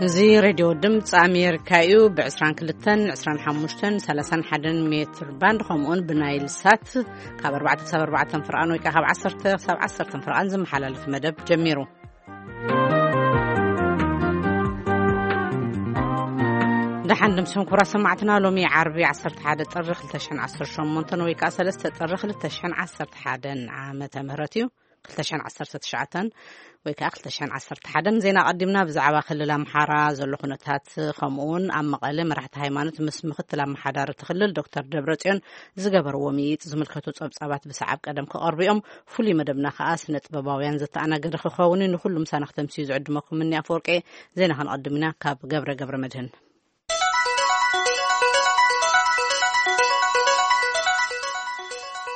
እዚ ሬድዮ ድምፂ ኣሜሪካ እዩ። ብ22፣ 25፣ 31 ሜትር ባንድ፣ ከምኡውን ብናይል ሳት ካብ ኣርባዕተ ክሳብ ኣርባዕተ ፍርቓን ወይ ከዓ ካብ ዓሰርተ ክሳብ ዓሰርተ ፍርቓን ዝመሓላለፍ መደብ ጀሚሩ። ደሓን ድምስኹም ክቡራት ሰማዕትና። ሎሚ ዓርቢ ዓሰርተ ሓደ ጥሪ ክልተ ሽሕን ዓሰርተ ሸሞንተን ወይ ከዓ ሰለስተ ጥሪ ክልተ ሽሕን ዓሰርተ ሓደን ዓመተ ምህረት እዩ። ክልተ ሽሕን ዓሰርተ ትሽዓተን ወይ ከዓ ክልተ ሽሕን ዓሰርተ ሓደን። ዜና ቀዲምና ብዛዕባ ክልል ኣምሓራ ዘሎ ኩነታት፣ ከምኡውን ኣብ መቐለ መራሕቲ ሃይማኖት ምስ ምክትል ኣመሓዳሪ እቲ ክልል ዶክተር ደብረጽዮን ዝገበርዎ ምይይጥ ዝምልከቱ ጸብጻባት ብሰዓብ ቀደም ክቐርቡ እዮም። ፍሉይ መደብና ከዓ ስነ ጥበባውያን ዘተኣናገደ ክኸውን እዩ። ንኩሉ ምሳና ክተምስዩ ዝዕድመኩም እኒ ኣፈወርቂ። ዜና ክንቐድም ኢና ካብ ገብረ ገብረ መድህን።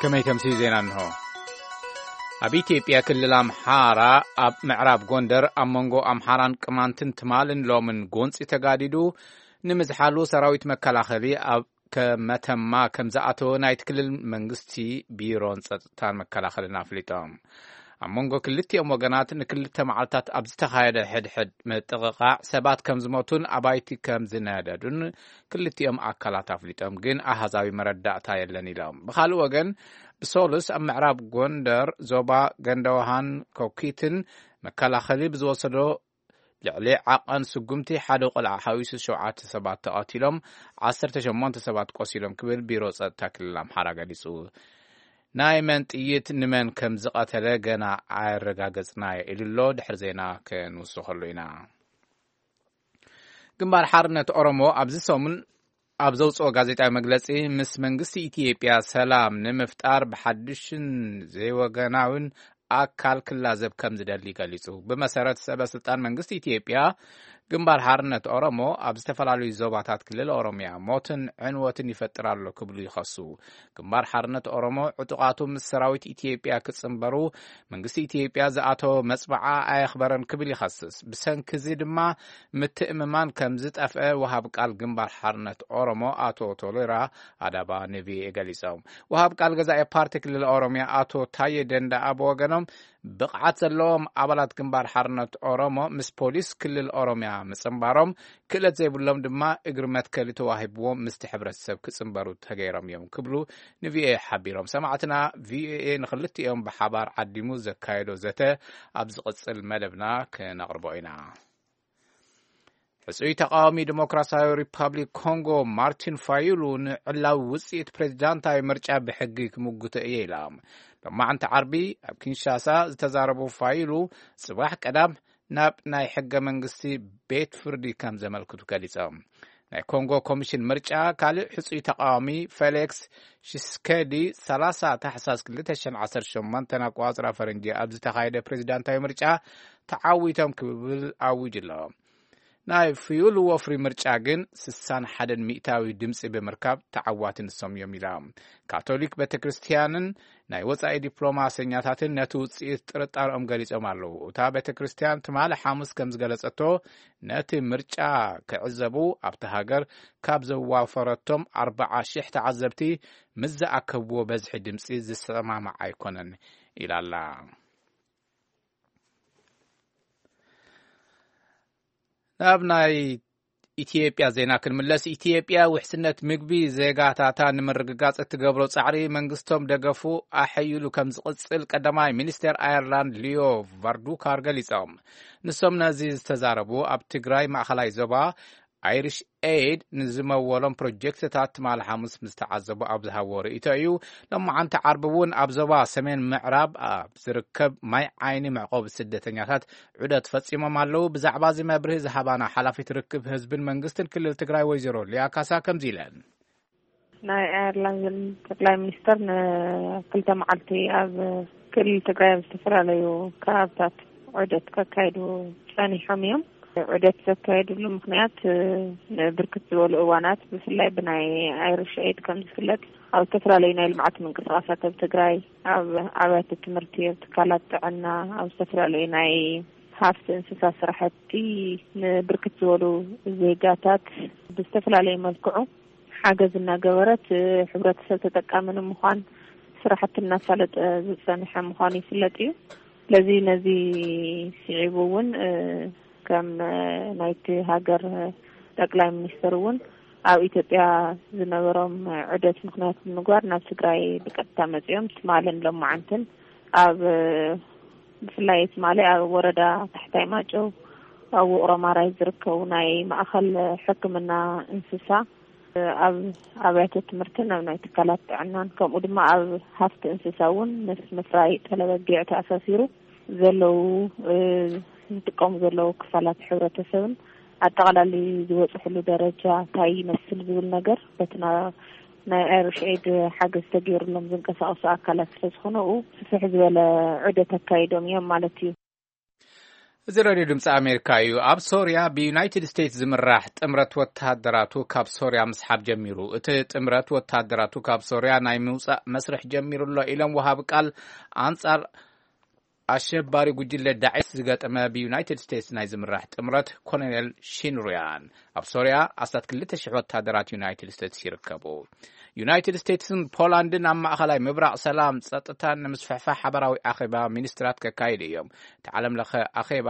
ከመይ ተምሲ ዜና እንሆ። ኣብ ኢትዮጵያ ክልል ኣምሓራ ኣብ ምዕራብ ጎንደር ኣብ መንጎ ኣምሓራን ቅማንትን ትማልን ሎምን ጎንፂ ተጋዲዱ ንምዝሓሉ ሰራዊት መከላኸሊ ኣብ ከ-፣ መተማ ከም ዝኣተወ ናይቲ ክልል መንግስቲ ቢሮን ጸጥታን መከላኸልን ኣፍሊጦም። ኣብ መንጎ ክልቲኦም ወገናት ንክልተ መዓልታት ኣብ ዝተኻየደ ሕድሕድ ምጥቕቓዕ ሰባት ከም ዝሞቱን ኣባይቲ ከም ዝነደዱን ክልቲኦም ኣካላት ኣፍሊጦም፣ ግን ኣሃዛዊ መረዳእታ የለን ኢሎም። ብኻልእ ወገን፣ ብሶሉስ ኣብ ምዕራብ ጎንደር ዞባ ገንደውሃን ኮኪትን መከላኸሊ ብዝወሰዶ ልዕሊ ዓቐን ስጉምቲ ሓደ ቆልዓ ሓዊሱ ሸውዓተ ሰባት ተቐቲሎም፣ ዓሰርተ ሸሞንተ ሰባት ቆሲሎም ክብል ቢሮ ጸጥታ ክልል ኣምሓራ ገሊጹ። ናይ መን ጥይት ንመን ከም ዝቐተለ ገና ኣየረጋገጽናዮ ኢሉ ኣሎ። ድሕሪ ዜና ክንውስኸሉ ኢና። ግንባር ሓርነት ኦሮሞ ኣብዚ ሰሙን ኣብ ዘውጽኦ ጋዜጣዊ መግለጺ፣ ምስ መንግስቲ ኢትዮጵያ ሰላም ንምፍጣር ብሓድሽን ዘይወገናውን ኣካል ክላዘብ ከም ዝደሊ ገሊጹ። ብመሰረት ሰበ ስልጣን መንግስቲ ኢትዮጵያ፣ ግንባር ሓርነት ኦሮሞ ኣብ ዝተፈላለዩ ዞባታት ክልል ኦሮሚያ ሞትን ዕንወትን ይፈጥር ኣሎ ክብሉ ይኸሱ። ግንባር ሓርነት ኦሮሞ ዕጡቓቱ ምስ ሰራዊት ኢትዮጵያ ክጽንበሩ መንግስቲ ኢትዮጵያ ዝኣተወ መጽብዓ ኣየኽበረን ክብል ይኸስስ። ብሰንኪ እዚ ድማ ምትእምማን ከም ዝጠፍአ ወሃብ ቃል ግንባር ሓርነት ኦሮሞ ኣቶ ቶሌራ ኣዳባ ንቪኦኤ ገሊጾም። ወሃብ ቃል ገዛኢ ፓርቲ ክልል ኦሮሚያ ኣቶ ታዬ ደንደኣ ብወገኖም፣ ብቕዓት ዘለዎም ኣባላት ግንባር ሓርነት ኦሮሞ ምስ ፖሊስ ክልል ኦሮሚያ ምጽንባሮም፣ ክእለት ዘይብሎም ድማ እግሪ መትከሊ ተዋሂብዎም ምስቲ ሕብረተሰብ ክጽንበሩ ተገይሮም እዮም ክብሉ ንቪኦኤ ሓቢሮም። ሰማዕትና፣ ቪኦኤ ንክልቲኦም ብሓባር ዓዲሙ ዘካየዶ ዘተ ኣብ ዝቕጽል መደብና ክነቕርቦ ኢና። ሕጹይ ተቃዋሚ ዲሞክራሲያዊ ሪፓብሊክ ኮንጎ ማርቲን ፋዩሉ ንዕላዊ ውጽኢት ፕሬዚዳንታዊ ምርጫ ብሕጊ ክምጉቶ እየ ኢላ። ሎማዕንቲ ዓርቢ ኣብ ኪንሻሳ ዝተዛረቡ ፋዩሉ፣ ጽባሕ ቀዳም ናብ ናይ ሕገ መንግስቲ ቤት ፍርዲ ከም ዘመልክቱ ገሊጾም። ናይ ኮንጎ ኮሚሽን ምርጫ ካልእ ሕጹይ ተቃዋሚ ፌሊክስ ሺስኬዲ ሰላሳ ታሕሳስ ክልተ ሽሕን ዓሰርተ ሸሞንተን ኣቆጻጽራ ፈረንጂ ኣብ ዝተኻየደ ፕሬዚዳንታዊ ምርጫ ተዓዊቶም ክብል ኣዊጁ ኣሎ። ናይ ፍዩል ወፍሪ ምርጫ ግን ስሳን ሓደን ሚእታዊ ድምፂ ብምርካብ ተዓዋቲ ንሶም እዮም ኢላ። ካቶሊክ ቤተ ክርስቲያንን ናይ ወፃኢ ዲፕሎማሰኛታትን ነቲ ውፅኢት ጥርጣረኦም ገሊጾም ኣለዉ። እታ ቤተ ክርስቲያን ትማሊ ሓሙስ ከም ዝገለጸቶ፣ ነቲ ምርጫ ክዕዘቡ ኣብቲ ሃገር ካብ ዘዋፈረቶም ኣርባዓ ሺሕ ተዓዘብቲ ምስ ዝኣከብዎ በዝሒ ድምፂ ዝሰማማዕ ኣይኮነን ኢላ ኣላ። ናብ ናይ ኢትዮጵያ ዜና ክንምለስ፣ ኢትዮጵያ ውሕስነት ምግቢ ዜጋታታ ንምርግጋጽ እትገብሮ ጻዕሪ መንግስቶም ደገፉ ኣሐይሉ ከም ዝቕጽል ቀዳማይ ሚኒስቴር ኣየርላንድ ሊዮ ቫርዱካር ገሊጾም። ንሶም ነዚ ዝተዛረቡ ኣብ ትግራይ ማእኸላይ ዞባ ኣይሪሽ ኤድ ንዝመወሎም ፕሮጀክትታት ትማሊ ሓሙስ ምስ ተዓዘቡ ኣብ ዝሃብዎ ርእይቶ እዩ። ሎማዓንቲ ዓርቢ እውን ኣብ ዞባ ሰሜን ምዕራብ ኣብ ዝርከብ ማይ ዓይኒ መዕቆቢ ስደተኛታት ዑደት ፈጺሞም ኣለዉ። ብዛዕባ እዚ መብርሂ ዝሃባና ሓላፊት ርክብ ህዝብን መንግስትን ክልል ትግራይ ወይዘሮ ሊያ ካሳ ከምዚ ኢለን። ናይ ኣየርላንድ ጠቅላይ ሚኒስተር ንክልተ መዓልቲ ኣብ ክልል ትግራይ ኣብ ዝተፈላለዩ ከባብታት ዑደት ከካይዱ ጸኒሖም እዮም። ዑደት ዘካየድሉ ምኽንያት፣ እ፣ ንብርክት ዝበሉ እዋናት ብፍላይ ብናይ ኣይሪሽ ኤድ ከም ዝፍለጥ ኣብ ዝተፈላለዩ ናይ ልምዓት ምንቅስቃሳት ኣብ ትግራይ፣ ኣብ ኣብያተ ትምህርቲ፣ ኣብ ትካላት ጥዕና፣ ኣብ ዝተፈላለዩ ናይ ሃፍቲ እንስሳ ስራሕቲ ንብርክት ዝበሉ ዜጋታት ብዝተፈላለየ መልክዑ ሓገዝ እናገበረት፣ እ፣ ሕብረተሰብ ተጠቃሚ ንምዃን ስራሕቲ እናሳለጠ ዝጸንሐ ምዃኑ ይፍለጥ እዩ። ስለዚ ነዚ ስዒቡ እውን፣ እ፣ ከም ናይቲ ሃገር ጠቅላይ ሚኒስትር እውን ኣብ ኢትዮጵያ ዝነበሮም ዑደት ምኽንያት ብምግባር ናብ ትግራይ ብቀጥታ መፂኦም ትማልን ሎማዓንትን ኣብ ብፍላይ ትማሊ ኣብ ወረዳ ታሕታይ ማጨው ኣብ ውቕሮ ማራይ ዝርከቡ ናይ ማእኸል ሕክምና እንስሳ ኣብ ኣብያተ ትምህርትን ኣብ ናይ ትካላት ጥዕናን ከምኡ ድማ ኣብ ሃፍቲ እንስሳ እውን ምስ ምፍራይ ጠለበጊዕ ተኣሳሲሩ ዘለዉ ዝጥቀሙ ዘለዉ ክፋላት ሕብረተሰብን ኣጠቓላሊ ዝበፅሕሉ ደረጃ እንታይ ይመስል ዝብል ነገር በቲ ናይ ኣይሪሽ ኤድ ሓገዝ ተገይሩሎም ዝንቀሳቐሱ ኣካላት ስለዝኾነ ኡ ስፍሕ ዝበለ ዑደት ኣካይዶም እዮም ማለት እዩ። እዚ ሬድዮ ድምፂ ኣሜሪካ እዩ። ኣብ ሶርያ ብዩናይትድ ስቴትስ ዝምራሕ ጥምረት ወተሃደራቱ ካብ ሶርያ ምስሓብ ጀሚሩ። እቲ ጥምረት ወተሃደራቱ ካብ ሶርያ ናይ ምውፃእ መስርሕ ጀሚሩ ኣሎ ኢሎም ወሃቢ ቃል ኣንፃር ኣሸባሪ ጉጅለ ዳዒስ ዝገጠመ ብዩናይትድ ስቴትስ ናይ ዝምራሕ ጥምረት ኮሎኔል ሺንሩያን። ኣብ ሶርያ ኣስታት ክልተ ሽሕ ወታደራት ዩናይትድ ስቴትስ ይርከቡ። ዩናይትድ ስቴትስን ፖላንድን ኣብ ማእኸላይ ምብራቕ ሰላም ፀጥታን ንምስፍሕፋ ሓበራዊ ኣኼባ ሚኒስትራት ከካይዱ እዮም። እቲ ዓለም ለኸ ኣኼባ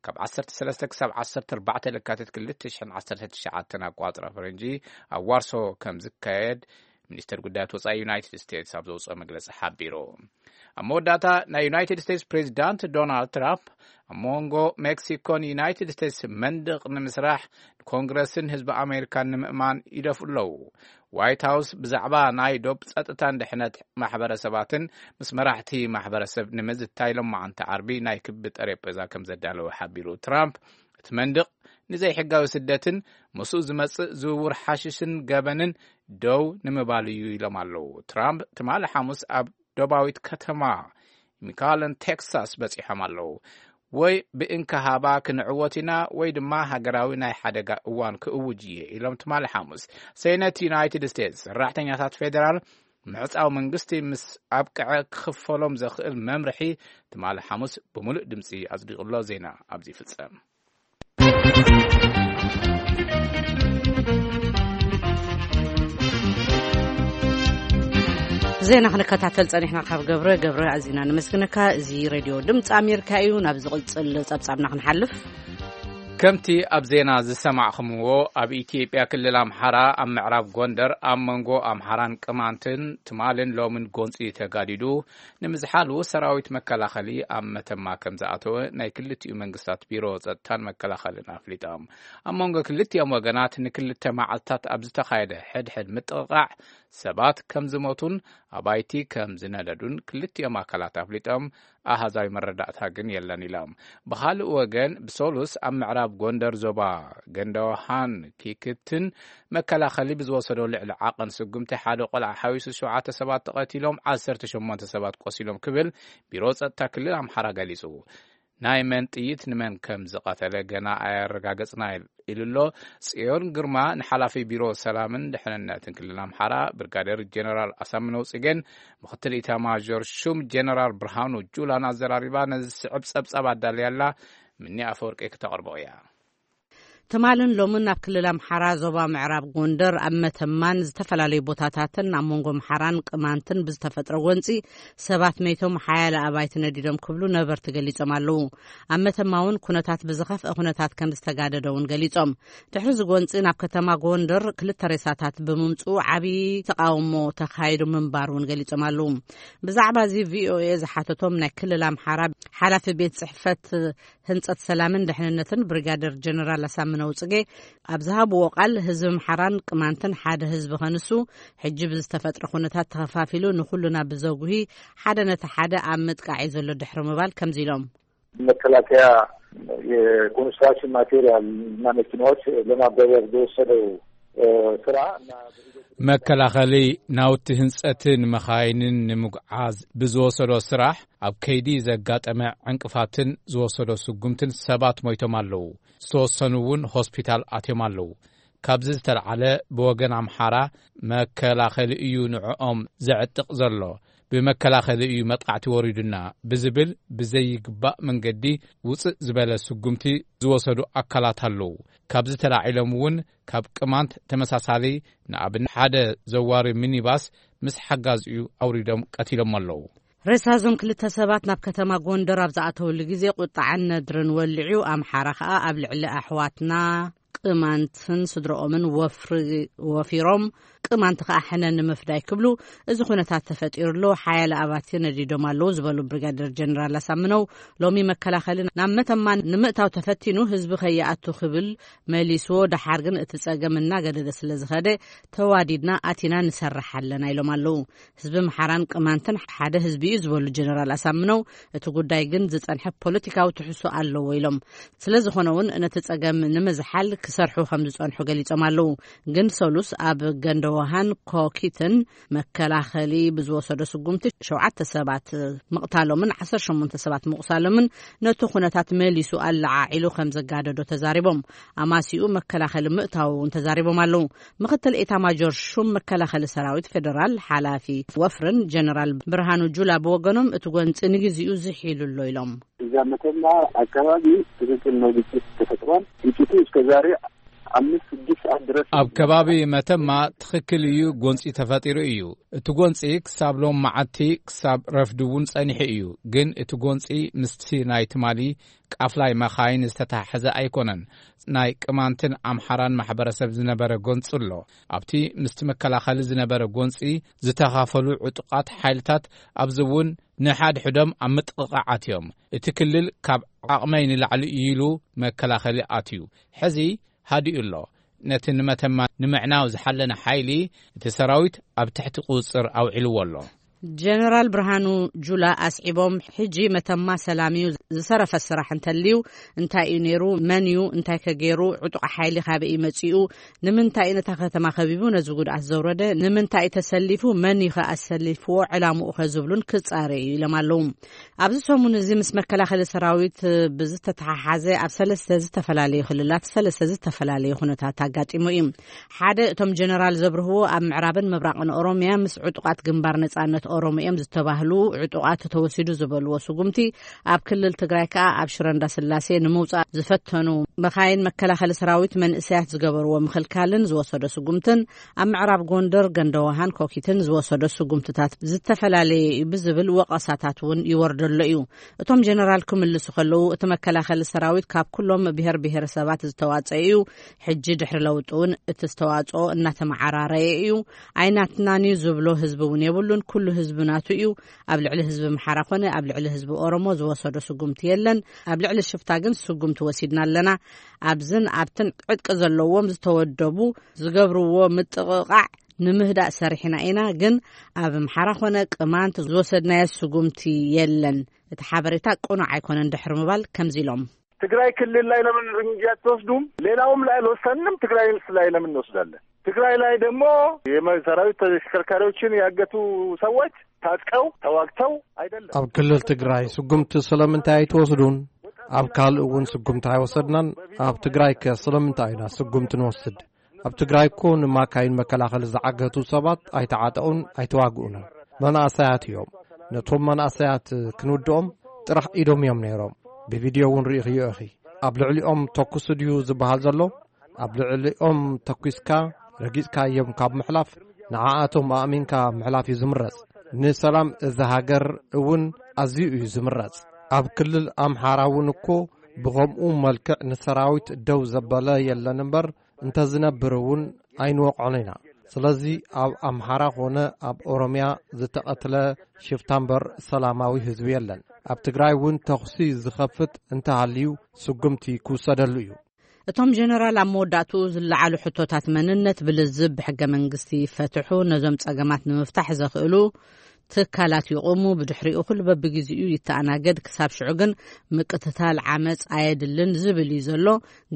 ካብ ዓሰርተ ሰለስተ ክሳብ ዓሰርተ ኣርባዕተ ለካትት ክልተ ሽሕን ዓሰርተ ትሽዓተን ኣቋፅራ ፈረንጂ ኣብ ዋርሶ ከም ዝካየድ ሚኒስትር ጉዳያት ወፃኢ ዩናይትድ ስቴትስ ኣብ ዘውፅኦ መግለፂ ሓቢሩ። ኣብ መወዳእታ ናይ ዩናይትድ ስቴትስ ፕሬዚዳንት ዶናልድ ትራምፕ ኣብ መንጎ ሜክሲኮን ዩናይትድ ስቴትስ መንድቕ ንምስራሕ ንኮንግረስን ህዝቢ ኣሜሪካን ንምእማን ይደፍኡ ኣለዉ። ዋይት ሃውስ ብዛዕባ ናይ ዶብ ጸጥታን ድሕነት ማሕበረሰባትን ምስ መራሕቲ ማሕበረሰብ ንምዝታይ ሎማዓንቲ ዓርቢ ናይ ክቢ ጠረጴዛ ከም ዘዳለወ ሓቢሩ። ትራምፕ እቲ መንድቕ ንዘይሕጋዊ ስደትን ምስኡ ዝመጽእ ዝውውር ሓሽሽን ገበንን ደው ንምባል እዩ ኢሎም ኣለዉ። ትራምፕ ትማሊ ሓሙስ ኣብ ደባዊት ከተማ ሚካለን ቴክሳስ በጺሖም ኣለዉ። ወይ ብእንካ ሃባ ክንዕወት ኢና ወይ ድማ ሃገራዊ ናይ ሓደጋ እዋን ክእውጅ እየ ኢሎም ትማሊ ሓሙስ። ሴነት ዩናይትድ ስቴትስ ሰራሕተኛታት ፌደራል ምዕጻው መንግስቲ ምስ ኣብቅዐ ክኽፈሎም ዘኽእል መምርሒ ትማሊ ሓሙስ ብምሉእ ድምፂ ኣጽዲቑሎ። ዜና ኣብዚ ይፍጸም። ዜና ክንከታተል ጸኒሕና ካብ ገብረ። ገብረ ኣዚና ነመስግነካ። እዚ ሬድዮ ድምፂ ኣሜሪካ እዩ። ናብ ዝቕጽል ጸብጻብና ክንሓልፍ። ከምቲ ኣብ ዜና ዝሰማዕኹምዎ፣ ኣብ ኢትዮጵያ ክልል ኣምሓራ ኣብ ምዕራብ ጎንደር ኣብ መንጎ ኣምሓራን ቅማንትን ትማልን ሎምን ጎንፂ ተጋዲዱ ንምዝሓሉ ሰራዊት መከላኸሊ ኣብ መተማ ከም ዝኣተወ ናይ ክልቲኡ መንግስታት ቢሮ ጸጥታን መከላኸልን ኣፍሊጦም። ኣብ መንጎ ክልቲኦም ወገናት ንክልተ መዓልታት ኣብ ዝተኻየደ ሕድሕድ ምጥቕቓዕ ሰባት ከም ዝሞቱን ኣባይቲ ከም ዝነደዱን ክልቲኦም ኣካላት ኣፍሊጦም። ኣሃዛዊ መረዳእታ ግን የለን ኢሎም። ብኻልእ ወገን ብሰሉስ ኣብ ምዕራብ ጎንደር ዞባ ገንዳውሃን ኪክትን መከላኸሊ ብዝወሰዶ ልዕሊ ዓቐን ስጉምቲ ሓደ ቆልዓ ሓዊሱ ሸውዓተ ሰባት ተቐቲሎም ዓሰርተ ሸሞንተ ሰባት ቆሲሎም ክብል ቢሮ ጸጥታ ክልል ኣምሓራ ገሊጹ። ናይ መን ጥይት ንመን ከም ዝቐተለ ገና ኣያረጋገጽና ኢሉ ኣሎ። ጽዮን ግርማ ንሓላፊ ቢሮ ሰላምን ድሕንነትን ክልል ኣምሓራ ብርጋዴር ጀነራል ኣሳምነው ጽጌን ምኽትል ኢታማዦር ሹም ጀነራል ብርሃኑ ጁላን ኣዘራሪባ ነዚ ዝስዕብ ጸብጻብ ኣዳልያ ኣላ። ምኒ ኣፈወርቂ ክተቕርቦ እያ። ትማልን ሎምን ኣብ ክልል ኣምሓራ ዞባ ምዕራብ ጎንደር ኣብ መተማን ዝተፈላለዩ ቦታታትን ኣብ መንጎ ኣምሓራን ቅማንትን ብዝተፈጥረ ጎንፂ ሰባት መይቶም ሓያለ ኣባይቲ ነዲዶም ክብሉ ነበርቲ ገሊጾም ኣለዉ። ኣብ መተማ እውን ኩነታት ብዝኸፍአ ኩነታት ከም ዝተጋደደ እውን ገሊጾም። ድሕሪ እዚ ጎንፂ ናብ ከተማ ጎንደር ክልተ ሬሳታት ብምምፅኡ ዓብዪ ተቃውሞ ተኻይዱ ምንባር እውን ገሊጾም ኣለዉ። ብዛዕባ እዚ ቪኦኤ ዝሓተቶም ናይ ክልል ኣምሓራ ሓላፊ ቤት ፅሕፈት ህንጸት ሰላምን ድሕንነትን ብሪጋደር ጀነራል ኣሳምነው ጽጌ ኣብ ዝሃብዎ ቃል፣ ህዝቢ ኣምሓራን ቅማንትን ሓደ ህዝቢ ከንሱ፣ ሕጂ ብዝተፈጥረ ኩነታት ተኸፋፊሉ ንኹልና ብዘጉሂ ሓደ ነቲ ሓደ ኣብ ምጥቃዕ እዩ ዘሎ ድሕሪ ምባል ከምዚ ኢሎም። መከላከያ የኮንስትራክሽን ማቴሪያል እና መኪናዎች ለማጓጓዝ በወሰደው ስራ እና መከላኸሊ ናውቲ ህንጸትን መኻይንን ንምጉዓዝ ብዝወሰዶ ስራሕ ኣብ ከይዲ ዘጋጠመ ዕንቅፋትን ዝወሰዶ ስጉምትን ሰባት ሞይቶም ኣለዉ። ዝተወሰኑ እውን ሆስፒታል ኣትዮም ኣለዉ። ካብዚ ዝተልዓለ ብወገን ኣምሓራ መከላኸሊ እዩ ንዕኦም ዘዕጥቕ ዘሎ፣ ብመከላኸሊ እዩ መጥቃዕቲ ወሪዱና ብዝብል ብዘይግባእ መንገዲ ውፅእ ዝበለ ስጉምቲ ዝወሰዱ ኣካላት ኣለዉ። ካብዚ ተላዒሎም እውን ካብ ቅማንት ተመሳሳሊ ንኣብነት ሓደ ዘዋሪ ሚኒባስ ምስ ሓጋዚኡ ኣውሪዶም ቀቲሎም ኣለዉ። ሬሳ እዞም ክልተ ሰባት ናብ ከተማ ጎንደር ኣብ ዝኣተውሉ ግዜ ቁጣዕን ነድርን ወሊዑ፣ ኣምሓራ ከኣ ኣብ ልዕሊ ኣሕዋትና ቅማንትን ስድረኦምን ወፍሪ ወፊሮም፣ ቅማንት ከኣ ሕነ ንምፍዳይ ክብሉ እዚ ኩነታት ተፈጢሩ ኣሎ፣ ሓያለ ኣባትዮ ነዲዶም ኣለዉ ዝበሉ ብሪጋደር ጀነራል ኣሳምነው፣ ሎሚ መከላኸሊ ናብ መተማ ንምእታው ተፈቲኑ ህዝቢ ከይኣቱ ክብል መሊስዎ፣ ደሓር ግን እቲ ጸገም እናገደደ ስለ ዝኸደ ተዋዲድና ኣቲና ንሰርሕ ኣለና ኢሎም ኣለዉ። ህዝቢ ኣምሓራን ቅማንትን ሓደ ህዝቢ እዩ ዝበሉ ጀነራል ኣሳምነው፣ እቲ ጉዳይ ግን ዝጸንሐ ፖለቲካዊ ትሕዝቶ ኣለዎ ኢሎም። ስለ ዝኾነ እውን ነቲ ጸገም ንምዝሓል ክሰርሑ ከም ዝጸንሑ ገሊጾም ኣለዉ። ግን ሰሉስ ኣብ ገንደዋሃን ኮኪትን መከላኸሊ ብዝወሰዶ ስጉምቲ ሸውዓተ ሰባት ምቕታሎምን ዓሰርተ ሸሞንተ ሰባት ምቑሳሎምን ነቲ ኩነታት መሊሱ ኣለዓዒሉ ከም ዘጋደዶ ተዛሪቦም። ኣማሲኡ መከላኸሊ ምእታው እውን ተዛሪቦም ኣለዉ። ምክትል ኤታማጆር ሹም መከላኸሊ ሰራዊት ፌደራል ሓላፊ ወፍርን ጀነራል ብርሃኑ ጁላ ብወገኖም፣ እቲ ጎንፂ ንግዚኡ ዝሒሉ ኣሎ ኢሎም። እዛ መተማ ኣካባቢ ትክክል ነው፣ ግጭት ተፈጥሯል። ግጭቱ እስከ ዛሬ አምስት ስድስት ሰዓት ድረስ ኣብ ከባቢ መተማ ትኽክል እዩ፣ ጎንፂ ተፈጢሩ እዩ። እቲ ጎንፂ ክሳብ ሎም መዓልቲ ክሳብ ረፍዲ እውን ጸኒሑ እዩ። ግን እቲ ጎንፂ ምስቲ ናይ ትማሊ ቃፍላይ መኻይን ዝተተሓሓዘ ኣይኮነን። ናይ ቅማንትን ኣምሓራን ማሕበረሰብ ዝነበረ ጎንፂ ኣሎ። ኣብቲ ምስቲ መከላኸሊ ዝነበረ ጎንፂ ዝተኻፈሉ ዕጡቓት ሓይልታት ኣብዚ እውን ንሓድሕዶም ኣብ ምጥቕቓዓት እዮም። እቲ ክልል ካብ ዓቕመይ ንላዕሊ እዩ ኢሉ መከላኸሊ ኣትዩ። ሕዚ ሃዲኡ ኣሎ። ነቲ ንመተማ ንምዕናው ዝሓለነ ሓይሊ እቲ ሰራዊት ኣብ ትሕቲ ቁጽጽር ኣውዒልዎ ኣሎ። ጀነራል ብርሃኑ ጁላ ኣስዒቦም፣ ሕጂ መተማ ሰላም እዩ፣ ዝተረፈ ስራሕ እንተልዩ እንታይ እዩ ነይሩ፣ መን እዩ እንታይ ከገይሩ፣ ዕጡቕ ሓይሊ ካበይ እዩ መጺኡ፣ ንምንታይ እዩ ነታ ከተማ ከቢቡ ነዚ ጉድኣት ዘውረደ፣ ንምንታይ እዩ ተሰሊፉ፣ መን እዩ ከ ኣሰሊፍዎ፣ ዕላምኡ ከ ዝብሉን ክጻረዩ እዩ ኢሎም ኣለዉ። ኣብዚ ሰሙን እዚ ምስ መከላኸሊ ሰራዊት ብዝተተሓሓዘ ኣብ ሰለስተ ዝተፈላለዩ ክልላት ሰለስተ ዝተፈላለዩ ኩነታት ኣጋጢሙ እዩ። ሓደ እቶም ጀነራል ዘብርህዎ ኣብ ምዕራብን ምብራቕን ኦሮሚያ ምስ ዕጡቓት ግንባር ነጻነት ኦሮሞ እዮም ዝተባህሉ ዕጡቓት ተወሲዱ ዝበልዎ ስጉምቲ ኣብ ክልል ትግራይ ከኣ ኣብ ሽረ እንዳስላሴ ንምውጻእ ዝፈተኑ መኻይን መከላኸሊ ሰራዊት መንእሰያት ዝገበርዎ ምኽልካልን ዝወሰዶ ስጉምትን ኣብ ምዕራብ ጎንደር ገንደዋሃን ኮኪትን ዝወሰዶ ስጉምትታት ዝተፈላለየ እዩ ብዝብል ወቐሳታት እውን ይወርደሎ እዩ። እቶም ጀነራል ክምልሱ ከለዉ፣ እቲ መከላኸሊ ሰራዊት ካብ ኩሎም ብሔር ብሔረሰባት ዝተዋጸአ እዩ። ሕጂ ድሕሪ ለውጢ እውን እቲ ዝተዋጽኦ እናተመዓራረየ እዩ። ኣይናትናን እዩ ዝብሎ ህዝቢ እውን የብሉን። ኩሉ ህዝቢ ናቱ እዩ። ኣብ ልዕሊ ህዝቢ ኣምሓራ ኮነ ኣብ ልዕሊ ህዝቢ ኦሮሞ ዝወሰዶ ስጉምቲ የለን። ኣብ ልዕሊ ሽፍታ ግን ስጉምቲ ወሲድና ኣለና። ኣብዝን ኣብትን ዕጥቂ ዘለዎም ዝተወደቡ ዝገብርዎ ምጥቕቓዕ ንምህዳእ ሰሪሕና ኢና፣ ግን ኣብ ኣምሓራ ኮነ ቅማንት ዝወሰድናዮ ስጉምቲ የለን። እቲ ሓበሬታ ቅኑዕ ኣይኮነን ድሕሪ ምባል ከምዚ ኢሎም። ትግራይ ክልል ላይ ለምን እርምጃ አትወስዱም? ሌላውም ላይ አልወሰንም፣ ትግራይ ላይ ለምን እንወስዳለን? ትግራይ ላይ ደግሞ የመ-፣ ሰራዊት ተሽከርካሪዎችን ያገቱ ሰዎች ታጥቀው ተዋግተው አይደለም። ኣብ ክልል ትግራይ ስጉምቲ ስለምንታይ ኣይትወስዱን? ኣብ ካልእ እውን ስጉምቲ ኣይወሰድናን። ኣብ ትግራይ ከ ስለምንታይ ኢና ስጉምቲ ንወስድ? ኣብ ትግራይ እኮ ንማካይን መከላኸሊ ዝዓገቱ ሰባት ኣይተዓጠቑን፣ ኣይተዋግኡንን። መናእሰያት እዮም። ነቶም መናእሰያት ክንውድኦም ጥራሕ ኢዶም እዮም ነይሮም። ብቪድዮ እውን ርኢኽዮ ኢኺ። ኣብ ልዕሊኦም ተኩሱ ድዩ ዝበሃል ዘሎ? ኣብ ልዕሊኦም ተኲስካ ረጊጽካዮም ካብ ምሕላፍ፣ ንዓኣቶም ኣእሚንካ ምሕላፍ እዩ ዝምረጽ። ንሰላም እዛ ሃገር እውን ኣዝዩ እዩ ዝምረጽ። ኣብ ክልል ኣምሓራ እውን እኮ ብኸምኡ መልክዕ ንሰራዊት ደው ዘበለ የለን እምበር፣ እንተዝነብር እውን ኣይንወቕዖን ኢና። ስለዚ ኣብ ኣምሓራ ኾነ ኣብ ኦሮምያ ዝተቐትለ ሽፍታ እምበር ሰላማዊ ህዝቢ የለን። ኣብ ትግራይ እውን ተኹሲ ዝኸፍት እንተሃልዩ ስጉምቲ ክውሰደሉ እዩ። እቶም ጀነራል ኣብ መወዳእትኡ ዝለዓሉ ሕቶታት መንነት ብልዝብ ብሕገ መንግስቲ ይፈትሑ፣ ነዞም ጸገማት ንምፍታሕ ዘኽእሉ ትካላት ይቑሙ፣ ብድሕሪኡ ኩሉ በብግዜኡ ይተኣናገድ፣ ክሳብ ሽዑ ግን ምቅትታል ዓመጽ ኣየድልን ዝብል እዩ ዘሎ።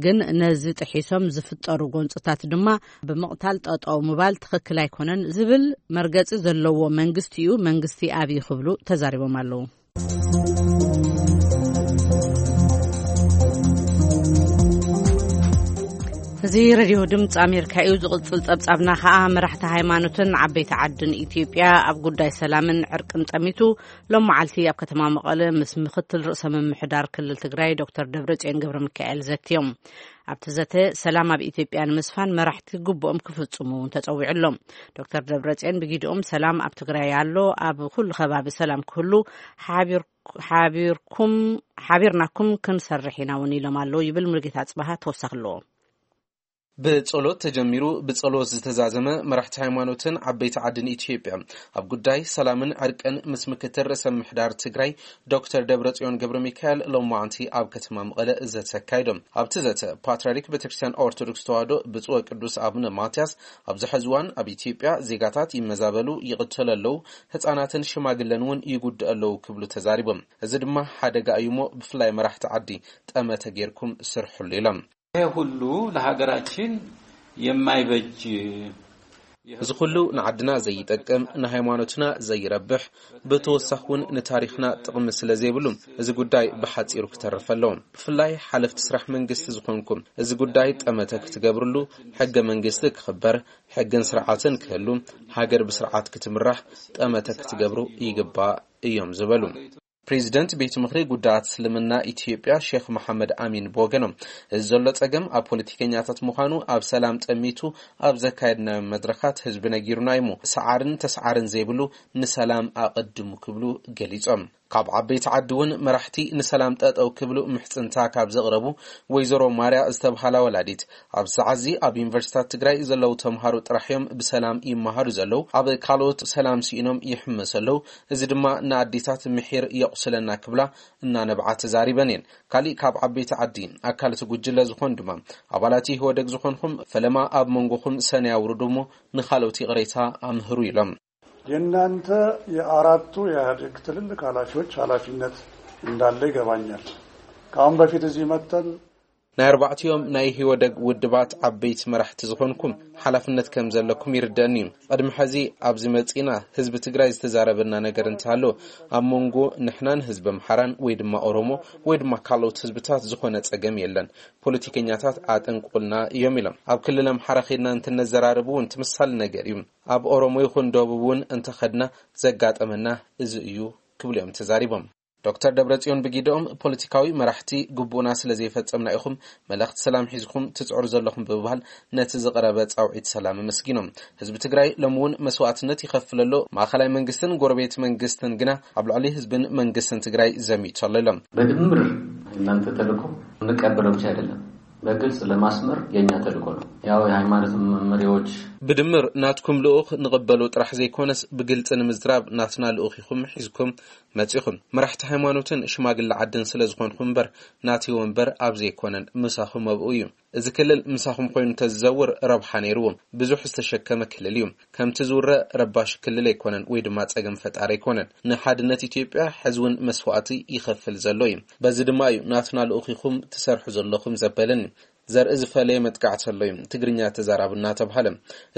ግን ነዚ ጥሒሶም ዝፍጠሩ ጎንጽታት ድማ ብምቕታል ጠጠው ምባል ትኽክል ኣይኮነን ዝብል መርገጺ ዘለዎ መንግስቲ እዩ፣ መንግስቲ ኣብይ ክብሉ ተዛሪቦም ኣለዉ። እዚ ሬድዮ ድምፂ ኣሜሪካ እዩ። ዝቕፅል ፀብፃብና ከዓ መራሕቲ ሃይማኖትን ዓበይቲ ዓድን ኢትዮጵያ ኣብ ጉዳይ ሰላምን ዕርቅን ጠሚቱ ሎም መዓልቲ ኣብ ከተማ መቐለ ምስ ምክትል ርእሰ ምምሕዳር ክልል ትግራይ ዶክተር ደብረፅዮን ገብረ ሚካኤል ዘትዮም። ኣብቲ ዘተ ሰላም ኣብ ኢትዮጵያ ንምስፋን መራሕቲ ግቡኦም ክፍፅሙ እውን ተፀዊዑ ኣሎ። ዶክተር ደብረፅዮን ብጊድኦም ሰላም ኣብ ትግራይ ኣሎ፣ ኣብ ኩሉ ከባቢ ሰላም ክህሉ ሓቢር ሓቢርኩም ሓቢርናኩም ክንሰርሕ ኢና እውን ኢሎም ኣለዉ ይብል ሙሉጌታ ኣፅበሃ ተወሳኺ ኣለዎ። ብጸሎት ተጀሚሩ ብጸሎት ዝተዛዘመ መራሕቲ ሃይማኖትን ዓበይቲ ዓድን ኢትዮጵያ ኣብ ጉዳይ ሰላምን ዕርቅን ምስ ምክትል ርእሰ ምምሕዳር ትግራይ ዶክተር ደብረጽዮን ገብረ ሚካኤል ሎማዓንቲ ኣብ ከተማ መቐለ ዘተ ኣካይዶም። ኣብቲ ዘተ ፓትርያርክ ቤተክርስትያን ኦርቶዶክስ ተዋህዶ ብፁዕ ቅዱስ ኣቡነ ማትያስ ኣብዚ ሕዚ እዋን ኣብ ኢትዮጵያ ዜጋታት ይመዛበሉ፣ ይቕተሉ ኣለዉ፣ ህፃናትን ሽማግለን እውን ይጉድኡ ኣለዉ ክብሉ ተዛሪቦም። እዚ ድማ ሓደጋ እዩ እሞ ብፍላይ መራሕቲ ዓዲ ጠመተ ጌርኩም ስርሕሉ ኢሎም። ይሄ ሁሉ ለሀገራችን የማይበጅ። እዚ ኩሉ ንዓድና ዘይጠቅም፣ ንሃይማኖትና ዘይረብሕ፣ ብተወሳኺ እውን ንታሪኽና ጥቕሚ ስለ ዘይብሉ እዚ ጉዳይ ብሓፂሩ ክተርፍ ኣለዎ። ብፍላይ ሓለፍቲ ስራሕ መንግስቲ ዝኾንኩም እዚ ጉዳይ ጠመተ ክትገብርሉ፣ ሕገ መንግስቲ ክኽበር፣ ሕግን ስርዓትን ክህሉ፣ ሃገር ብስርዓት ክትምራሕ ጠመተ ክትገብሩ ይግባእ እዮም ዝበሉ። ፕሬዚደንት ቤት ምኽሪ ጉዳያት እስልምና ኢትዮጵያ ሼክ መሐመድ ኣሚን ብወገኖም፣ እዚ ዘሎ ጸገም ኣብ ፖለቲከኛታት ምዃኑ ኣብ ሰላም ጠሚቱ ኣብ ዘካየድናዮ መድረኻት ህዝቢ ነጊሩና እዩ። ሰዓርን ተስዓርን ዘይብሉ ንሰላም ኣቐድሙ ክብሉ ገሊጾም። ካብ ዓበይቲ ዓዲ እውን መራሕቲ ንሰላም ጠጠው ክብሉ ምሕጽንታ ካብ ዘቕረቡ ወይዘሮ ማርያ ዝተብሃላ ወላዲት፣ ኣብዚ ሰዓት እዚ ኣብ ዩኒቨርሲታት ትግራይ ዘለዉ ተምሃሮ ጥራሕ እዮም ብሰላም ይመሃሩ ዘለዉ። ኣብ ካልኦት ሰላም ስኢኖም ይሕመሱ ኣለዉ። እዚ ድማ ንኣዴታት ምሒር የቑስለና ክብላ እናነብዓ ተዛሪበን እየን። ካሊእ ካብ ዓበይቲ ዓዲ ኣካል እቲ ጉጅለ ዝኾኑ ድማ ኣባላት ኢህወደግ ዝኾንኹም ፈለማ ኣብ መንጎኹም ሰነ ያውርዱ እሞ ንኻልኦት ይቕሬታ ኣምህሩ ኢሎም። የእናንተ የአራቱ የኢህአዴግ ትልልቅ ኃላፊዎች ኃላፊነት እንዳለ ይገባኛል። ከአሁን በፊት እዚህ መጥተን ናይ ኣርባዕቲኦም ናይ ኢህወደግ ውድባት ዓበይቲ መራሕቲ ዝኾንኩም ሓላፍነት ከም ዘለኩም ይርደእኒ እዩ። ቅድሚ ሕዚ ኣብዚ መጺና ህዝቢ ትግራይ ዝተዛረበና ነገር እንተሃሎ ኣብ መንጎ ንሕናን ህዝቢ ኣምሓራን ወይ ድማ ኦሮሞ ወይ ድማ ካልኦት ህዝብታት ዝኾነ ጸገም የለን። ፖለቲከኛታት ኣጠንቁልና እዮም ኢሎም። ኣብ ክልል ኣምሓራ ኸድና እንትነዘራርብ እውን ትምሳል ነገር እዩ። ኣብ ኦሮሞ ይኹን ደቡብ እውን እንተኸድና ዘጋጠመና እዚ እዩ ክብሉ እዮም ተዛሪቦም። ዶክተር ደብረጽዮን ብጊደኦም ፖለቲካዊ መራሕቲ ግቡእና ስለ ዘይፈጸምና ኢኹም መልእኽቲ ሰላም ሒዝኩም ትጽዕሩ ዘለኹም ብምባል ነቲ ዝቐረበ ጻውዒት ሰላም ኣመስጊኖም። ህዝቢ ትግራይ ሎሚ እውን መስዋእትነት ይኸፍል ኣሎ። ማእኸላይ መንግስትን ጎረቤት መንግስትን ግና ኣብ ልዕሊ ህዝብን መንግስትን ትግራይ ዘሚቱ ኣሎ ኢሎም። በድምር እናንተ ተልእኮ እንቀበለው ብቻ አይደለም፣ በግልጽ ለማስመር የኛ ተልእኮ ነው። ያው የሃይማኖት መሪዎች ብድምር ናትኩም ልኡኽ ንቕበሉ ጥራሕ ዘይኮነስ ብግልጺ ንምዝራብ ናትና ልኡኽ ኢኹም ሒዝኩም መጺኹም። መራሕቲ ሃይማኖትን ሽማግለ ዓድን ስለ ዝኾንኹም እምበር ናተይ ወንበር ኣብዚ ኣይኮነን፣ ምሳኹም ኣብኡ እዩ። እዚ ክልል ምሳኹም ኮይኑ እንተዝዘውር ረብሓ ነይርዎ። ብዙሕ ዝተሸከመ ክልል እዩ። ከምቲ ዝውረ ረባሺ ክልል ኣይኮነን ወይ ድማ ጸገም ፈጣሪ ኣይኮነን። ንሓድነት ኢትዮጵያ ሕዚ እውን መስዋእቲ ይኸፍል ዘሎ እዩ። በዚ ድማ እዩ ናትና ልኡኽ ኢኹም ትሰርሑ ዘለኹም ዘበለኒ። ዘርኢ ዝፈለየ መጥቃዕቲ ኣሎ እዩ፣ ትግርኛ ተዛራቢ እናተብሃለ።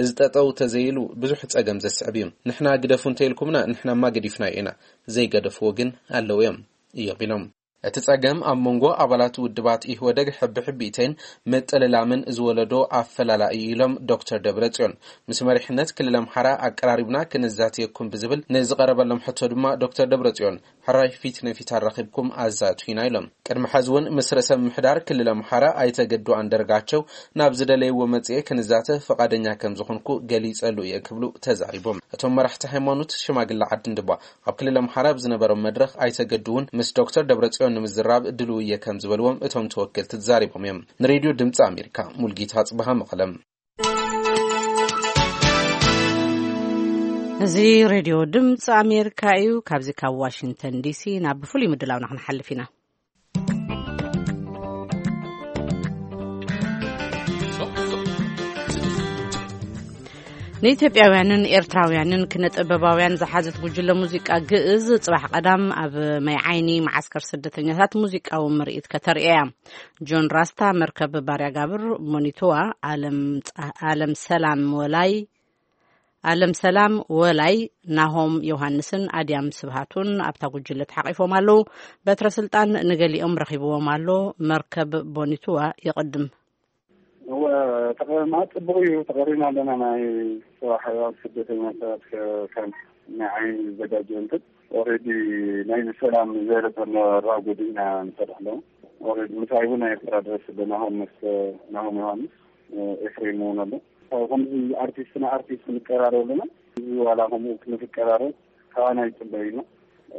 እዚ ጠጠው ተዘይሉ ብዙሕ ጸገም ዘስዕብ እዩ። ንሕና ግደፉ እንተኢልኩምና ንሕናማ ገዲፍናዮ ኢና። ዘይገደፍዎ ግን ኣለዉ እዮም፣ እዮም ኢሎም። እቲ ጸገም ኣብ መንጎ ኣባላት ውድባት ኢህወደግ ሕብሕቢተይን ምጥልላምን ዝወለዶ ኣፈላላይ እዩ ኢሎም ዶክተር ደብረጽዮን። ምስ መሪሕነት ክልል ኣምሓራ ኣቀራሪብና ክንዛተየኩም ብዝብል ንዝቐረበሎም ሕቶ ድማ ዶክተር ደብረጽዮን ሕራይ ፊት ንፊት ኣራኺብኩም ኣዛቱ ኢና ኢሎም። ቅድሚ ሐዚ እውን ምስ ርእሰ ምምሕዳር ክልል ኣምሓራ ኣይተ ገዱ ኣንደርጋቸው ናብ ዝደለይዎ መጽኤ ክንዛተ ፈቓደኛ ከም ዝኾንኩ ገሊጸሉ እየ ክብሉ ተዛሪቦም። እቶም መራሕቲ ሃይማኖት ሽማግለ ዓድን ድማ ኣብ ክልል ኣምሓራ ኣብ ዝነበሮም መድረኽ ኣይተ ገዱ እውን ምስ ዶክተር ደብረጽዮን ንምዝራብ ድልው እየ ከም ዝበልዎም እቶም ተወከልቲ ተዛሪቦም እዮም። ንሬድዮ ድምፂ ኣሜሪካ ሙልጌታ ጽበሃ መቐለም። እዚ ሬድዮ ድምፂ ኣሜሪካ እዩ። ካብዚ ካብ ዋሽንግተን ዲሲ ናብ ፍሉይ ምድላውና ክንሓልፍ ኢና። ንኢትዮጵያውያንን ኤርትራውያንን ክነጥበባውያን ዝሓዘት ጉጅለ ሙዚቃ ግእዝ ጽባሕ ቀዳም ኣብ ማይ ዓይኒ መዓስከር ስደተኛታት ሙዚቃዊ ምርኢት ከተርእያ። ጆን ራስታ፣ መርከብ ባርያ ጋብር፣ ሞኒቶዋ፣ ኣለም ጸ-፣ ኣለም ሰላም ወላይ፣ ኣለም ሰላም ወላይ፣ ናሆም ዮሃንስን ኣድያም ስብሃቱን ኣብታ ጉጅለ ተሓቒፎም ኣለዉ። በትረ ስልጣን ንገሊኦም ረኺብዎም ኣሎ። መርከብ ቦኒቱዋ ይቕድም። እወ፣ ተቐማ ጽቡቕ እዩ። ተቐሪና ኣለና። ናይ ጽባሕ ኣብ ስደተኛታት ከ-፣ ካምፕ ናይ ዓይኒ ዝዘጋጀ እንትን ኦልሬዲ ናይ ሰላም ዘረጠና ራጎዲ ኢና ንሰርሕ ኣለዉ። ኦልሬዲ ምሳይ እውን ናይ ኤርትራ ድረስ ኣለና። ሆምስ ናሆም ዮሃንስ፣ ኤፍሬም እውን ኣሎ። ከምዚ ኣርቲስትና ኣርቲስት ንቀራረብ ኣለና። እዚ ዋላ ከምኡ ክንፍቀራረብ ካባና ይጽበዩና።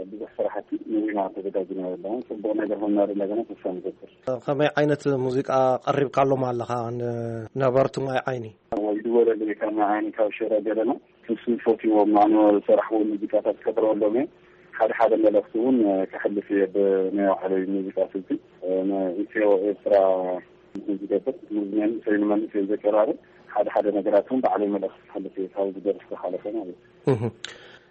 ብዙሕ ስራሕቲ ንዊና ተዘጋጅና ኣለና። ጽቡቕ ነገር ሆና እንደገና ተስፋ ንገብር። ከመይ ዓይነት ሙዚቃ ቀሪብካሎም ኣለኻ ንነበርቲ ማይ ዓይኒ? ወይ ድወለለይ ካብ ማይ ዓይኒ ካብ ሸረ ገለና። ንሱ ፈትዎም ኣነ ዝሰራሕዎ ሙዚቃታት ከቅርበሎም እየ። ሓደ ሓደ መልእኽቲ እውን ከሕልፍ እየ ብናይ ባዕለይ ሙዚቃ ስልቲ። ንኢትዮ ኤርትራ ዝገብር፣ ንመንእሰይ ንመንእሰይ ዘቀራርብ ሓደ ሓደ ነገራት እውን ባዕለይ መልእኽቲ ከሕልፍ እየ፣ ካብ ዝደርስ ዝሓለፈ ማለት እዩ። እህ።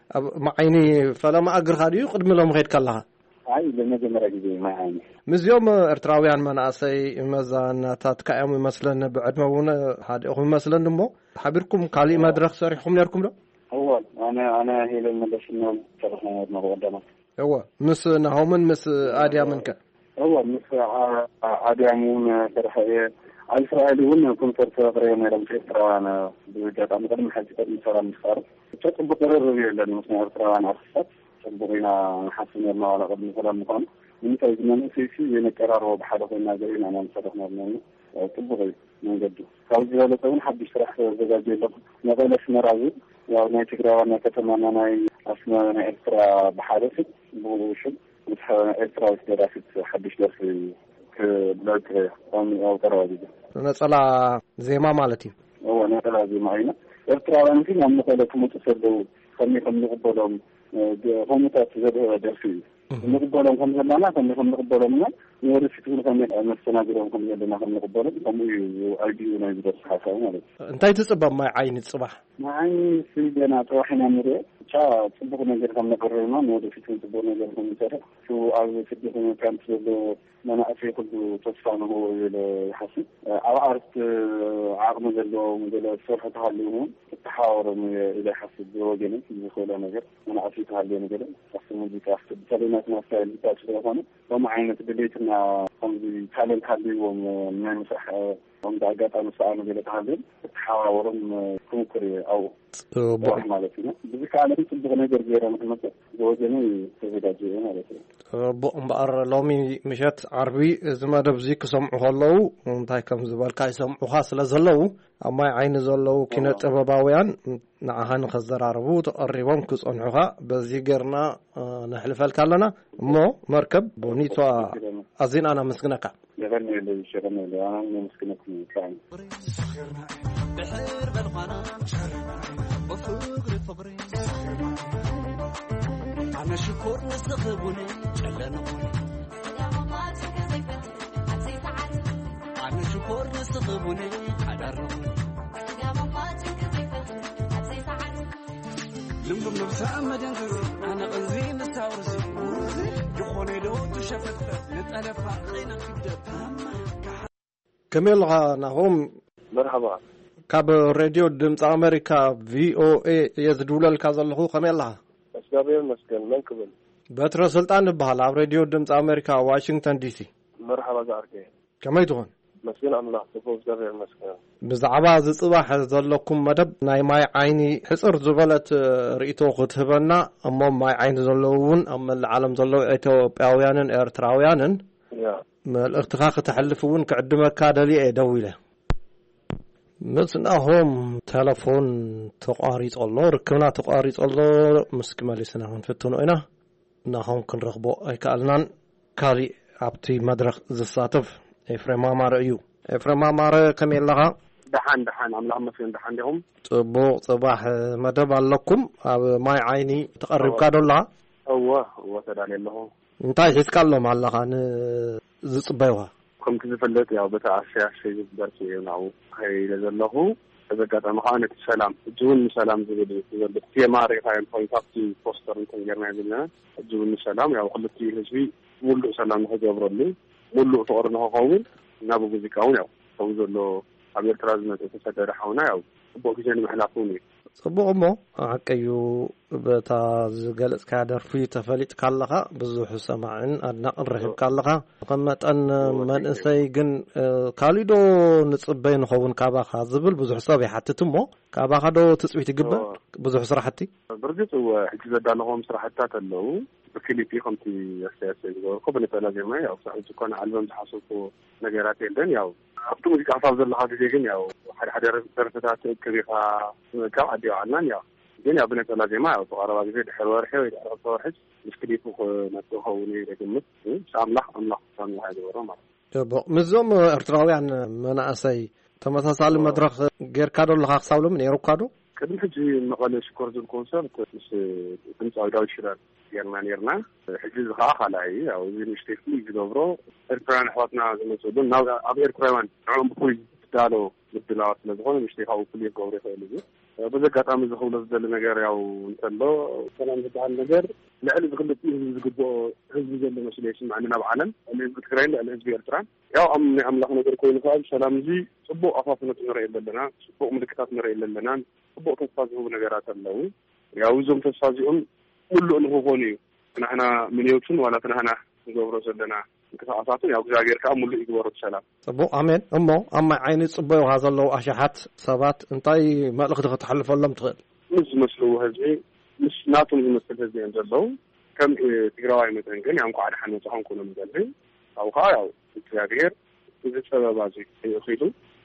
ኣብ ማዓይኒ ፈለማ እግርኻ ድዩ ቅድሚ ሎም ኸድካ ኣለኻ? ኣይ፣ ለመጀመርያ ግዜ ማዓይኒ። ምስዚኦም ኤርትራውያን መናእሰይ መዛናታትካ እዮም ይመስለኒ፣ ብዕድመ እውን ሓዲኦም ይመስለኒ። እሞ ሓቢርኩም ካሊእ መድረኽ ሰሪሕኩም ነርኩም ዶ? እወ፣ ኣነ፣ ኣነ ሄለን መለስ ነው ተረኽና ነርና ብቐዳማት። እወ፣ ምስ ናሆምን ምስ ኣድያምን ከ? እወ፣ ምስ ዓ-፣ ኣድያም እውን ሰርሐ እየ። ኣብ እስራኤል እውን ኮንሰርት ኣቕሪበ ነይሮም ኤርትራውያን። ብኣጋጣሚ ቅድሚ ሕጂ ቅድሚ ሰላም ምፍጣር ብቻ ጽቡቕ ቅርርብ የለን ምስ ናይ ኤርትራውያን ኣርቲስታት። ጽቡቕ ኢና ንሓስብ ነርና ዋላ ቅድሚ ሰላም ምዃኑ። ንምንታይ እዚ መንእሰይሲ የነቀራርቦ ብሓደ ኮይና ገለ ኢና ንሰርሕ ነርና። ጽቡቕ እዩ መንገዱ። ካብ ዝበለጸ እውን ሓድሽ ስራሕ ተዘጋጅየ ኣለኹ። መቐለ ኣስመራ ዝብል ያው ናይ ትግራይ ዋና ከተማና ናይ ኣስመራ ናይ ኤርትራ ብሓደ ስም ብኡ ሽም ምስ ኤርትራዊት ደራሲት ሓድሽ ደርፊ ክብለክ ከም ኣብ ቀረባ ግዜ። ነጸላ ዜማ ማለት እዩ። እወ፣ ነጸላ ዜማ ኣይና። ኤርትራውያን ግን ኣብ መቐለ ክመጹ ከለዉ ከመይ ከም ንቕበሎም፣ እ፣ ግ-፣ ከምኡታት ዘድህበ ደርፊ እዩ። እህ። ንቕበሎም ከም ዘለና፣ ከመይ ከም ንቕበሎም እና ንወደፊት እውን ከመይ መስተናግዶም ከም ዘለና ከም ንቕበሎም፣ ከምኡ እዩ ኣይዲኡ ናይ ዝደርፊ ሓሳቡ ማለት እዩ። እንታይ ትጽበ ማይ ዓይኒ ጽባሕ? ማይ ዓይኒ ሲ ገና ጽባሕ ኢና ንሪኦ። ብቻ ጽቡቕ ነገር ከም ነቕርብ እና ንወደፊት እውን ጽቡቕ ነገር ከም ንሰርሕ፣ እቲ ኣብ ስደተኛ ካምፕ ዘሎ መናእሰይ ኩሉ ተስፋ ንህቦ ኢለ ይሓስብ። ኣብ ኣርት ዓቕሚ ዘለዎም ገለ ዝሰርሑ ተሃልዮም እውን ክተሓባበሮም እየ ኢለ ይሓስብ። ብወገነይ ዝኽእሎ ነገር መናእሰይ ተሃልዮም ገለ ኣብቲ ሙዚቃ፣ በተለይ ናትና ስታይል ሂፓፕ ስለዝኾነ ከምኡ ዓይነት ድሌትና ከምዚ ታለንት ሃልይዎም ናይ ምስራሕ ከምዚ ኣጋጣሚ ሰኣኑ ገለ ተሃልዮም ክተሓባበሮም ክምኩር እየ ኣብኡ። ጽቡቕ። ጽባሕ ማለት እዩ። ብዝከኣለ ጽቡቕ ነገር ገይረ ንክመጽእ ብወገነይ ተዘጋጅየ እየ ማለት እዩ። ጽቡቕ እምበኣር ሎሚ ምሸት ዓርቢ እዚ መደብ እዚ ክሰምዑ ከለዉ እንታይ ከም ዝበልካ ይሰምዑኻ ስለ ዘለዉ ኣብ ማይ ዓይኒ ዘለዉ ኪነ ጥበባውያን ንዓኻ ንኸዘራርቡ ተቐሪቦም ክጸንሑኻ በዚ ጌርና፣ እ፣ ነሕልፈልካ ኣለና። እሞ መርከብ ቦኒቷ ኣዚና ነመስግነካ። የቐንየለይ፣ የቐንየለይ። ኣነ እውን የመስግነኩም ብጣዕሚ። ድሕር በልኳና ብፍቕሪ ፍቕሪ ኣነ ሽኮር ንስኺ ቡኒ ጨለንቑኒ ኣነ ሽኮር ንስኺ ቡኒ ሓዳር ንቑኒ ልምሉም ነብሳ መደንዘዚ ኣነ ቐንዚ ንሳውርዚ ዝኾነ ዶ ትሸፈትፈት ንጠለፋ ቐይነ ክብደት ከመይ ኣለኻ ናሆም? መርሓባ። ካብ ሬድዮ ድምፂ ኣሜሪካ ቪኦኤ እየ ዝድውለልካ ዘለኹ። ከመይ ኣለኻ? እግዚኣብሔር ይመስገን። መን ክብል? በትረ ስልጣን እበሃል። ኣብ ሬድዮ ድምፂ ኣሜሪካ ዋሽንግተን ዲሲ። መርሓባ ዝዓርከይ። ከመይ ትኾን? መስገን ኣምላኽ፣ ጽቡቕ እግዚኣብሔር ይመስገን። ብዛዕባ እዚ ጽባሕ ዘለኩም መደብ ናይ ማይ ዓይኒ ሕጽር ዝበለት ርእይቶ ክትህበና፣ እሞ ማይ ዓይኒ ዘለዉ እውን ኣብ መላእ ዓለም ዘለዉ ኢትዮጵያውያንን ኤርትራውያንን ያ። መልእኽትኻ ክተሕልፍ እውን ክዕድመካ ደልየ እየ ደዊለ። ምስ ናሆም ተለፎን ተቋሪጹ ኣሎ፣ ርክብና ተቋሪጹ ኣሎ። ምስኪ መሊስና ክንፍትኖ ኢና። ናሆም ክንረኽቦ ኣይከኣልናን። ካሊእ ኣብቲ መድረኽ ዝሳተፍ ኤፍሬም ኣማረ እዩ። ኤፍሬም ኣማረ፣ ከመይ ኣለኻ? ደሓን፣ ደሓን፣ ኣምላኽ መስገን፣ ደሓን ዲኹም? ጽቡቕ ጽባሕ መደብ ኣለኩም። ኣብ ማይ ዓይኒ ተቐሪብካ ዶ ኣለኻ? እወ፣ እወ፣ ተዳልየ ኣለኹ። እንታይ ሒዝካሎም ኣለኻ ንዝጽበዩኻ? ከምቲ ዝፍለጥ፣ ያው፣ በታ ኣሸይ ኣሸይ ዝብል ደርፊ እዩ ናብኡ ከይደ ዘለኹ። በዚ ኣጋጣሚ ከዓ ነቲ ሰላም፣ ሕጂ እውን ንሰላም ዝብል እዩ ዘሎ። እቲ ቴማ ርኢኻዮ እንተኾይኑ፣ ካብቲ ፖስተር እንትን ጌርናዮ ዘለና፣ ሕጂ እውን ንሰላም፣ ያው፣ ክልቲኡ ህዝቢ ሙሉእ ሰላም ንኽገብረሉ፣ ሙሉእ ፍቕሪ ንኽኸውን፣ ናብ ሙዚቃ እውን፣ ያው፣ ከምኡ ዘሎ ኣብ ኤርትራ ዝመጸ ዝተሰደደ ሓውና፣ ያው፣ ጽቡቕ ግዜ ንምሕላፍ እውን እዩ። ጽቡቕ። እሞ ሓቀዩ፣ በታ ዝገለጽካያ ደርፊ ተፈሊጥካ ኣለኻ፣ ብዙሕ ሰማዕን ኣድናቕን ረኺብካ ኣለኻ። ከም መጠን መንእሰይ ግን፣ እ፣ ካሊእ ዶ ንጽበይ ንኸውን ካባኻ ዝብል ብዙሕ ሰብ ይሓትት። እሞ ካባኻ ዶ ትጽቢት ይግበር? ብዙሕ ስራሕቲ? ብርግጽ እወ፣ ሕጂ ዘዳለኹዎም ስራሕትታት ኣለዉ። ብክሊፕ ከምቲ ኣስተያየት ዝገበርኩ ብነጠላ ዜማ፣ ያው፣ ክሳብ ሕጂ እኮ ንኣልበም ዝሓሰብኩ ነገራት የለን። ያው፣ ኣብቲ ሙዚቃ ክሳብ ዘለኻ ግዜ ግን፣ ያው፣ ሓደ ሓደ ደርፍታት ትእክብ ኢኻ፣ ካብ ዓዲ ይውዓልናን፣ ያው፣ ግን፣ ያው፣ ብነጠላ ዜማ፣ ያው፣ እቲ ቀረባ ግዜ ድሕሪ ወርሒ ወይ ድሕሪ ክልተ ወርሒ ምስ ክሊፑ ክመጽእ ክኸውን እዩ ዝግምት። ምስ ኣምላኽ፣ ኣምላኽ ውሳኔ ይግበሮ ማለት እዩ። ጽቡቕ። ምስዞም ኤርትራውያን መናእሰይ ተመሳሳሊ ኦ። መድረኽ ጌርካ ዶ ኣለኻ ክሳብ ሎሚ? ነይሩካ ዶ? ቅድሚ ሕጂ መቐለ ሽኮር ዝብል ኮንሰርት ምስ ድምፃዊ ዳዊት ሽራር ጌርና ኔርና። ሕጂ እዚ ከዓ ካልኣይ እዩ። ያው እዚ ንእሽተይ ፍሉይ ዝገብሮ ኤርትራውያን ኣሕዋትና ዝመፅእሉ ናብ፣ ኣብ ኤርትራውያን ንዕኦም ብፍሉይ ዝዳሎ ምድላዋት ስለ ዝኾነ ንእሽተይ ካብኡ ፍሉይ ክገብሮ ይኽእል እዩ። በዚ ኣጋጣሚ እዚ ክብሎ ዝደሊ ነገር ያው እንተሎ ሰላም ዝበሃል ነገር ልዕሊ እዚ ክልቲኡ ህዝቢ ዝግብኦ ህዝቢ ዘሎ መስሎ ይስምዐኒ ናብ ዓለም። ልዕሊ ህዝቢ ትግራይን ልዕሊ ህዝቢ ኤርትራን። ያው ኣም-፣ ናይ ኣምላኽ ነገር ኮይኑ ከዓ ሰላም እዚ ጽቡቕ ኣፋፍኖት ንርኢ ኣለና፣ ጽቡቕ ምልክታት ንርኢ ኣለና፣ ጽቡቕ ተስፋ ዝህቡ ነገራት ኣለዉ። ያው እዞም ተስፋ እዚኦም ምሉእ ንክኾኑ እዩ ንሕና ምንዮትን ዋላ እቲ ንሕና ንገብሮ ዘለና ምንቅስቃሳትን ያው እግዚኣብሔር ከዓ ምሉእ ይግበሮ እቲ ሰላም። ጽቡቕ፣ ኣሜን። እሞ ኣብ ማይ ዓይኒ ጽበዩኻ ዘለዉ ኣሽሓት ሰባት እንታይ መልእኽቲ ከተሕልፈሎም ትኽእል? ምስ ዝመስልዎ ህዝቢ፣ ምስ ናቶም ዝመስል ህዝቢ እዮም ዘለዉ። ከም፣ እ፣ ትግራዋይ መጠን ግን ያው እንኳዕ ደሓን መጻኹም ክብሎም ይደሊ። ካብኡ ከዓ ያው እግዚኣብሔር እዚ ጸበባ እዚ ይእኺሉ፣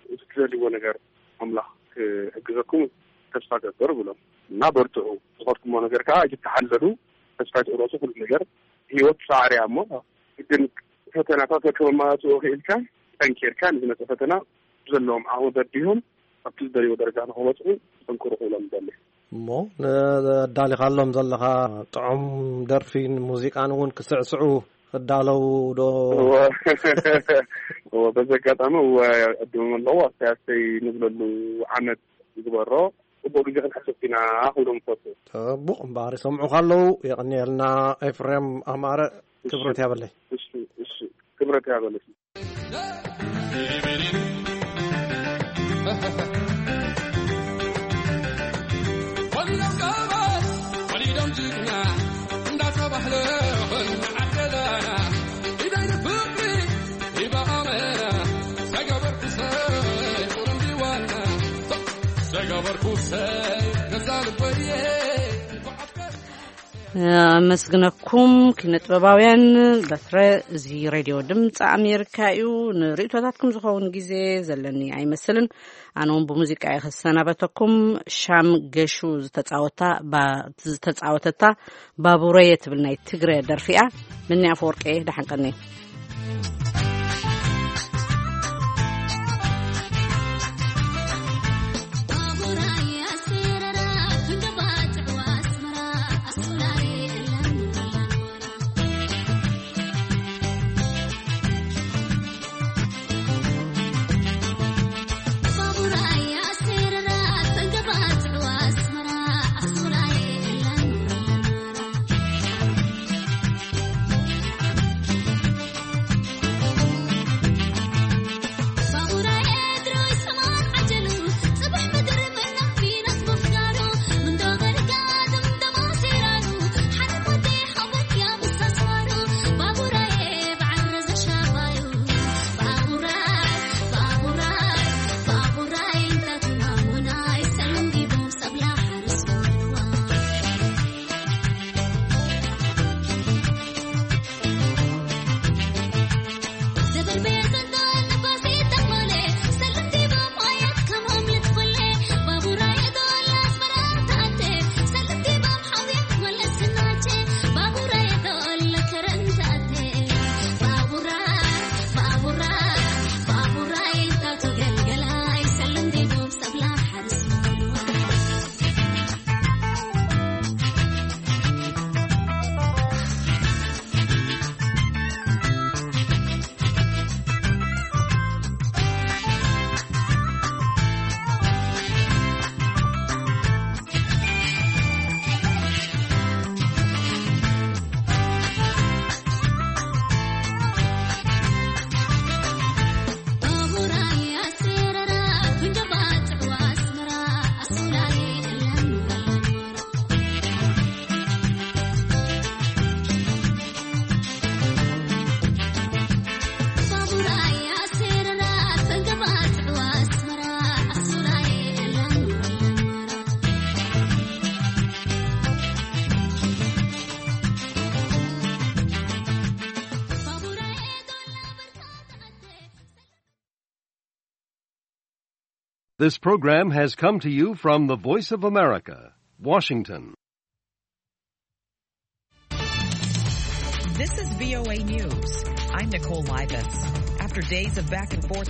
እዚ ትደልይዎ ነገር ኣምላኽ ክሕግዘኩም ተስፋ ገብር ብሎም እና በርትዑ። ዝኸድኩሞ ነገር ከዓ ኣይትተሓለሉ፣ ተስፋ ኣይትቑረጹ። ኩሉ ነገር ህይወት ጻዕሪ እያ እሞ ግን ፈተናታት ከመማላስኦ ክኢልካ ጠንኪርካ ንዝመጸ ፈተና ዘለዎም ዓቕሚ በዲሆም ኣብቲ ዝደልይዎ ደረጃ ንኽበጽሑ ጠንክሩ ክብሎም ይደሊ። እሞ ነዳሊኻሎም ዘለኻ ጥዑም ደርፊን ሙዚቃን እውን ክስዕስዑ ክዳለው ዶ? እወ። እወ፣ በዚ ኣጋጣሚ እወ፣ ዕድሞም ኣለዉ ኣስተያየተይ ንብለሉ ዓመት ይግበሮ። ጽቡቕ ግዜ ክንሕልፍ ኢና ክብሎም እፈቱ። ጽቡቕ እምበኣር ይሰምዑኻ ኣለዉ። የቐንየልና ኤፍሬም ኣማረ። እሺ። ክብረት ያበለይ። እሺ፣ እሺ። ክብረት ያበለይ። ወሊዶም ጎበዝ፣ ወሊዶም ጅግና እንዳተባህለ ኾይኑ ዓደና። ኢደይ ንፍቕሪ ሂባ ኣመና፣ ሰገበርኩ ሰይ ቁርምቢ ዋና፣ ሰገበርኩ ሰይ ገዛ ልበየ። ኣመስግነኩም ኪነ ጥበባውያን። በትረ፣ እዚ ሬድዮ ድምፂ ኣሜሪካ እዩ። ንርእይቶታትኩም ዝኸውን ግዜ ዘለኒ ኣይመስልን። ኣነ እውን ብሙዚቃ እየ ክሰናበተኩም። ሻም ገሹ ዝተፃወታ፣ ባ-፣ ዝተፃወተታ ባቡረየ ትብል ናይ ትግረ ደርፊ እያ። ምኒ ኣፈወርቂ፣ ደሓን ቀኒ። This program has come to you from the Voice of America, Washington. This is V O A News. I'm Nicole Livas. After days of back and forth